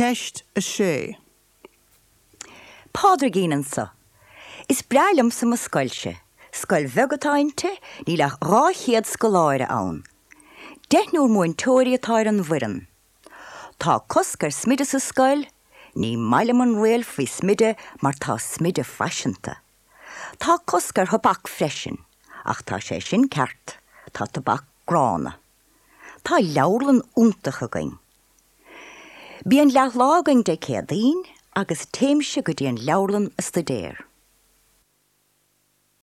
Ceist 6. Pádraigín anso. Is breá liomsa mo scoilse. Scoil bheag atá inti, níl ach 200 scoláire ann. Deichniúr múinteoirí atá ar an bhfoireann. Tá cosc ar smideadh sa scoil, ní maith liom an riail faoi smideadh mar tá smideadh faiseanta. Tá cosc ar thobac freisin, ach tá sé sin ceart, tá tobac gránna. Tá leabharlann iontach againn. Bíonn leathlá againn Dé Céadaoin agus téimse go dtí an leabharlann a stuidéar.